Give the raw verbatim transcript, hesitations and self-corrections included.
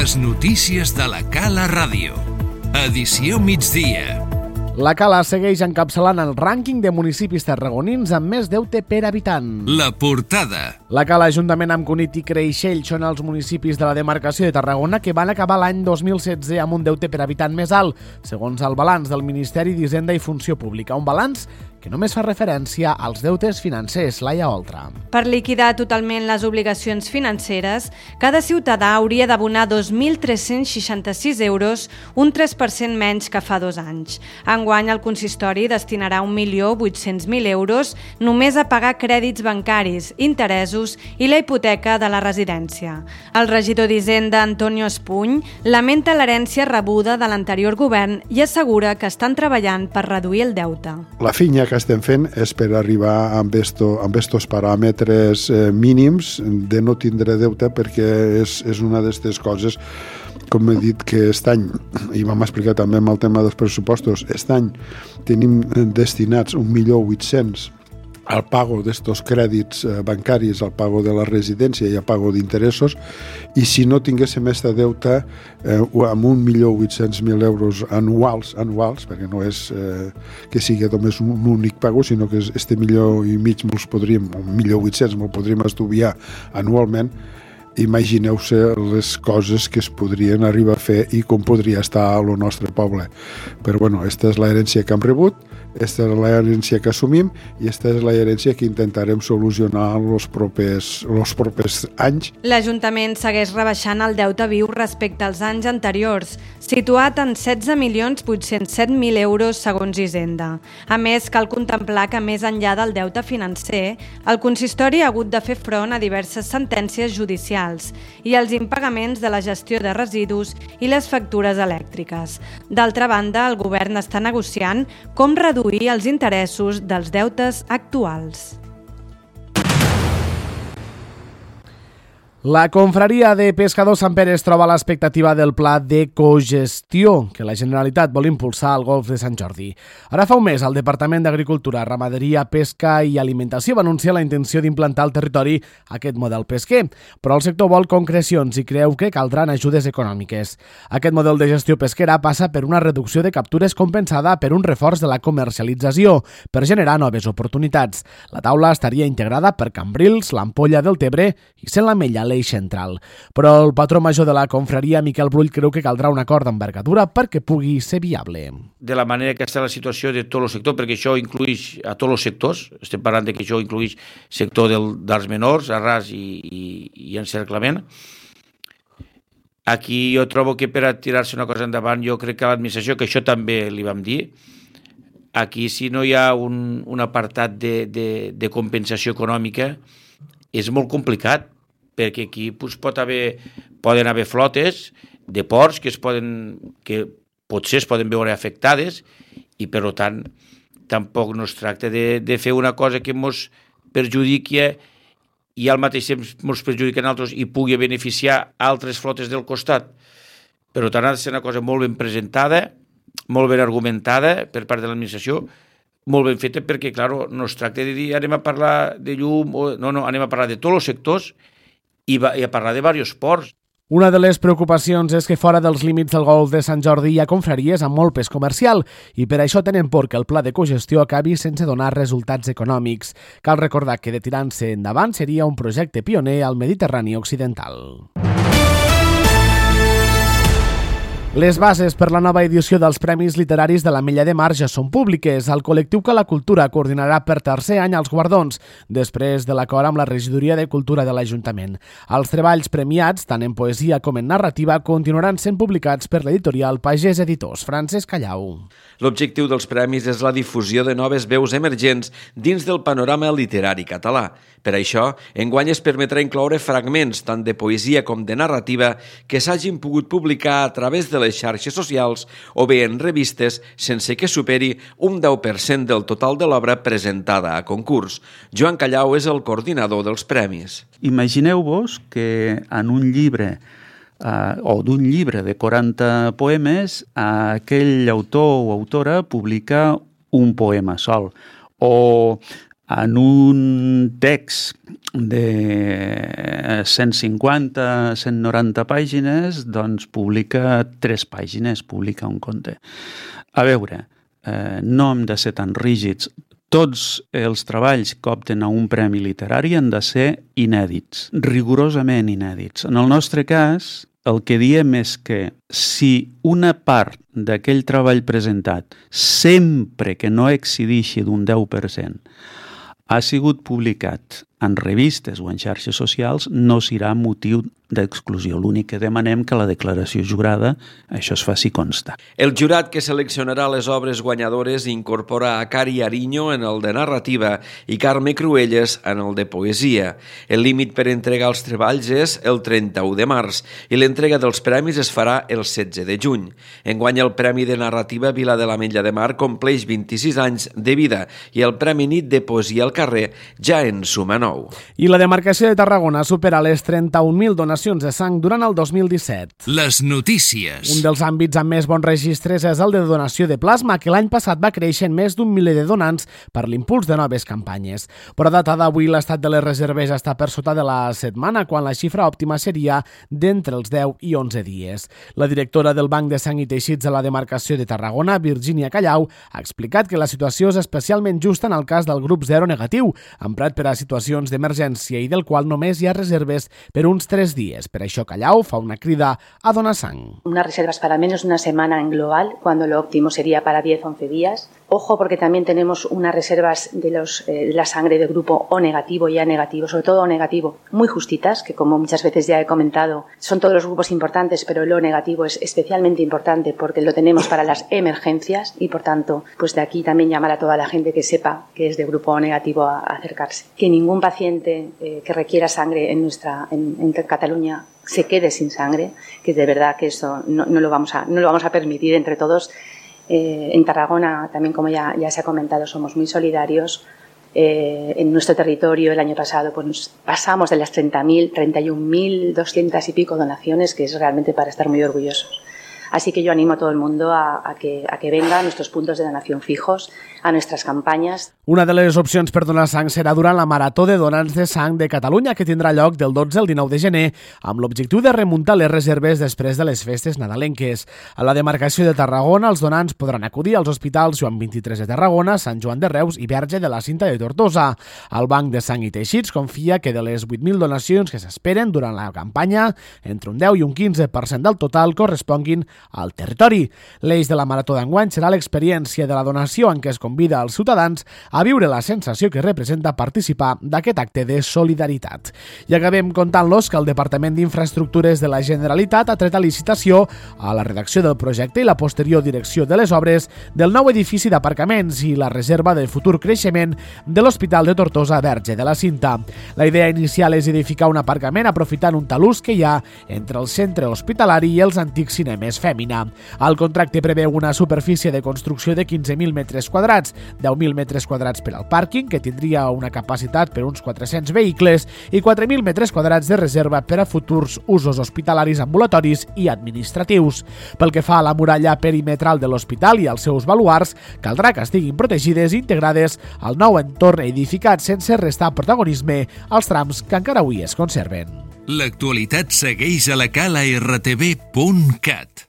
Les notícies de la Cala Ràdio. Edició migdia. La Cala segueix encapçalant el rànquing de municipis tarragonins amb més deute per habitant. La portada. La Cala, juntament amb Cunit i Creixell, són els municipis de la demarcació de Tarragona que van acabar l'any dos mil setze amb un deute per habitant més alt, segons el balanç del Ministeri d'Hisenda i Funció Pública. Un balanç que només fa referència als deutes financers. Laia Oltra. Per liquidar totalment les obligacions financeres, cada ciutadà hauria d'abonar dos mil tres-cents seixanta-sis euros, un tres per cent menys que fa dos anys. Enguany, el consistori destinarà un milió vuit-cents mil euros només a pagar crèdits bancaris, interessos i la hipoteca de la residència. El regidor d'Hisenda, Antonio Espuny, lamenta l'herència rebuda de l'anterior govern i assegura que estan treballant per reduir el deute. La feina que estem fent és per arribar amb esto, amb estos paràmetres eh, mínims de no tindre deute, perquè és, és una d'aquestes coses, com he dit, que aquest any, i vam explicar també amb el tema dels pressupostos, aquest any tenim destinats un milió vuit-cents al pago d'estos crèdits bancaris, al pago de la residència i al pago d'interessos, i si no tinguéssim este deute eh, amb un milió vuit-cents mil euros anuals, anuals, perquè no és eh, que sigui només un, un únic pago, sinó que este milió i mig me'ls podríem, un milió vuit-cents me'l podríem estudiar anualment. Imagineu-se les coses que es podrien arribar a fer i com podria estar el nostre poble. Però bueno, aquesta és l'herència que hem rebut, aquesta és l'herència que assumim i aquesta és l'herència que intentarem solucionar en els propers, els propers anys. L'Ajuntament segueix rebaixant el deute viu respecte als anys anteriors, situat en setze milions vuit-cents set mil euros segons Hisenda. A més, cal contemplar que més enllà del deute financer, el consistori ha hagut de fer front a diverses sentències judicials i als impagaments de la gestió de residus i les factures elèctriques. D'altra banda, el govern està negociant com reduir els interessos dels deutes actuals. La confraria de pescadors Sant Pere es troba a l'expectativa del pla de cogestió que la Generalitat vol impulsar al Golf de Sant Jordi. Ara fa un mes, el Departament d'Agricultura, Ramaderia, Pesca i Alimentació va anunciar la intenció d'implantar al territori aquest model pesquer, però el sector vol concrecions i creu que caldran ajudes econòmiques. Aquest model de gestió pesquera passa per una reducció de captures compensada per un reforç de la comercialització, per generar noves oportunitats. La taula estaria integrada per Cambrils, l'Ampolla del Tebre i Sent la Mella, l'eix central. Però el patró major de la confraria, Miquel Brull, creu que caldrà un acord d'envergadura perquè pugui ser viable. De la manera que està la situació de tot el sector, perquè això inclueix a tots els sectors, estem parlant de que això inclueix sector del, dels menors, arràs i, i, i encerclament. Aquí jo trobo que per a tirar-se una cosa endavant, jo crec que l'administració, que això també li vam dir, aquí si no hi ha un, un apartat de, de, de compensació econòmica, és molt complicat, perquè aquí pues, pot haver, poden haver flotes de ports que, es poden, que potser es poden veure afectades i, per tant, tampoc no es tracta de, de fer una cosa que ens perjudiqui i al mateix temps ens perjudiqui a altres i pugui beneficiar altres flotes del costat. Per tant, ha de ser una cosa molt ben presentada, molt ben argumentada per part de l'administració, molt ben feta, perquè, clar, no es tracta de dir anem a parlar de llum, o, no, no, anem a parlar de tots els sectors i, va, i a parlar de diversos ports. Una de les preocupacions és que fora dels límits del Golf de Sant Jordi hi ha confraries amb molt pes comercial i per això tenen por que el pla de cogestió acabi sense donar resultats econòmics. Cal recordar que de tirant-se endavant seria un projecte pioner al Mediterrani occidental. Les bases per la nova edició dels Premis Literaris de l'Ametlla de Mar ja són públiques. El col·lectiu Que la Cultura coordinarà per tercer any els guardons, després de l'acord amb la Regidoria de Cultura de l'Ajuntament. Els treballs premiats, tant en poesia com en narrativa, continuaran sent publicats per l'editorial Pagès Editors. Francesc Callau. L'objectiu dels premis és la difusió de noves veus emergents dins del panorama literari català. Per això, enguany es permetrà incloure fragments tant de poesia com de narrativa que s'hagin pogut publicar a través de les xarxes socials o bé en revistes sense que superi un deu per cent del total de l'obra presentada a concurs. Joan Callau és el coordinador dels premis. Imagineu-vos que en un llibre Uh, o d'un llibre de quaranta poemes, uh, aquell autor o autora publica un poema sol. O en un text de cent cinquanta a cent noranta pàgines, doncs publica tres pàgines, publica un conte. A veure, eh, no hem de ser tan rígids. Tots els treballs que opten a un premi literari han de ser inèdits, rigorosament inèdits. En el nostre cas, el que diem és que si una part d'aquell treball presentat, sempre que no excedeixi d'un deu per cent, ha sigut publicat en revistes o en xarxes socials, no serà motiu d'exclusió. L'únic que demanem que la declaració jurada això es faci constar. El jurat que seleccionarà les obres guanyadores incorpora a Cari Ariño en el de narrativa i Carme Cruelles en el de poesia. El límit per entregar els treballs és el trenta-u de març i l'entrega dels premis es farà el setze de juny. Enguany el Premi de Narrativa Vila de l'Ametlla de Mar compleix vint-i-sis anys de vida i el Premi Nit de Poesia al Carrer ja en suma nou. I la demarcació de Tarragona supera les trenta-un mil donacions de sang durant el dos mil disset. Les notícies. Un dels àmbits amb més bons registres és el de donació de plasma, que l'any passat va créixer en més d'un miler de donants per l'impuls de noves campanyes. Però a data d'avui l'estat de les reserves està per sota de la setmana, quan la xifra òptima seria d'entre els deu i onze dies. La directora del Banc de Sang i Teixits de la demarcació de Tarragona, Virgínia Callau, ha explicat que la situació és especialment justa en el cas del grup zero negatiu, emprat per a situacions d'emergència i del qual només hi ha reserves per uns tres dies. Per això Callau fa una crida a donar sang. Unas reservas para menos de una semana en global, cuando lo óptimo sería para diez a once días. Ojo, porque también tenemos unas reservas de, los, eh, de la sangre de grupo O negativo y A negativo, sobre todo O negativo, muy justitas, que como muchas veces ya he comentado, son todos los grupos importantes, pero el O negativo es especialmente importante porque lo tenemos para las emergencias y, por tanto, pues de aquí también llamar a toda la gente que sepa que es de grupo O negativo a, a acercarse. Que ningún paciente eh, que requiera sangre en nuestra en, en Cataluña se quede sin sangre, que de verdad que eso no, no lo vamos a no lo vamos a permitir entre todos. Eh, en Tarragona también, como ya, ya se ha comentado, somos muy solidarios. Eh, en nuestro territorio el año pasado pues nos pasamos de las treinta mil, treinta y un mil doscientas y pico donaciones, que es realmente para estar muy orgullosos. Así que yo animo a todo el mundo a, a, que, a que venga a nuestros puntos de donación fijos, a nuestras campañas. Una de les opcions per donar sang serà durant la Marató de Donants de Sang de Catalunya, que tindrà lloc del dotze al dinou de gener, amb l'objectiu de remuntar les reserves després de les festes nadalenques. A la demarcació de Tarragona, els donants podran acudir als hospitals Joan vint-i-tres de Tarragona, Sant Joan de Reus i Verge de la Cinta de Tortosa. El Banc de Sang i Teixits confia que de les vuit mil donacions que s'esperen durant la campanya, entre un deu i un quinze per cent del total corresponguin al territori. L'eix de la Marató d'enguany serà l'experiència de la donació, en què es convida als ciutadans a viure la sensació que representa participar d'aquest acte de solidaritat. I acabem contant-los que el Departament d'Infraestructures de la Generalitat ha tret a licitació a la redacció del projecte i la posterior direcció de les obres del nou edifici d'aparcaments i la reserva de futur creixement de l'Hospital de Tortosa Verge de la Cinta. La idea inicial és edificar un aparcament aprofitant un talús que hi ha entre el centre hospitalari i els antics cinemes Fèmina. El contracte preveu una superfície de construcció de quinze mil metres quadrats, deu mil metres quadrats per al pàrquing, que tindria una capacitat per uns quatre-cents vehicles, i quatre mil metres quadrats de reserva per a futurs usos hospitalaris, ambulatoris i administratius. Pel que fa a la muralla perimetral de l'hospital i als seus baluars, caldrà que estiguin protegides i integrades al nou entorn edificat sense restar protagonisme als trams que encara avui es conserven. L'actualitat segueix a la cala r t v punt cat.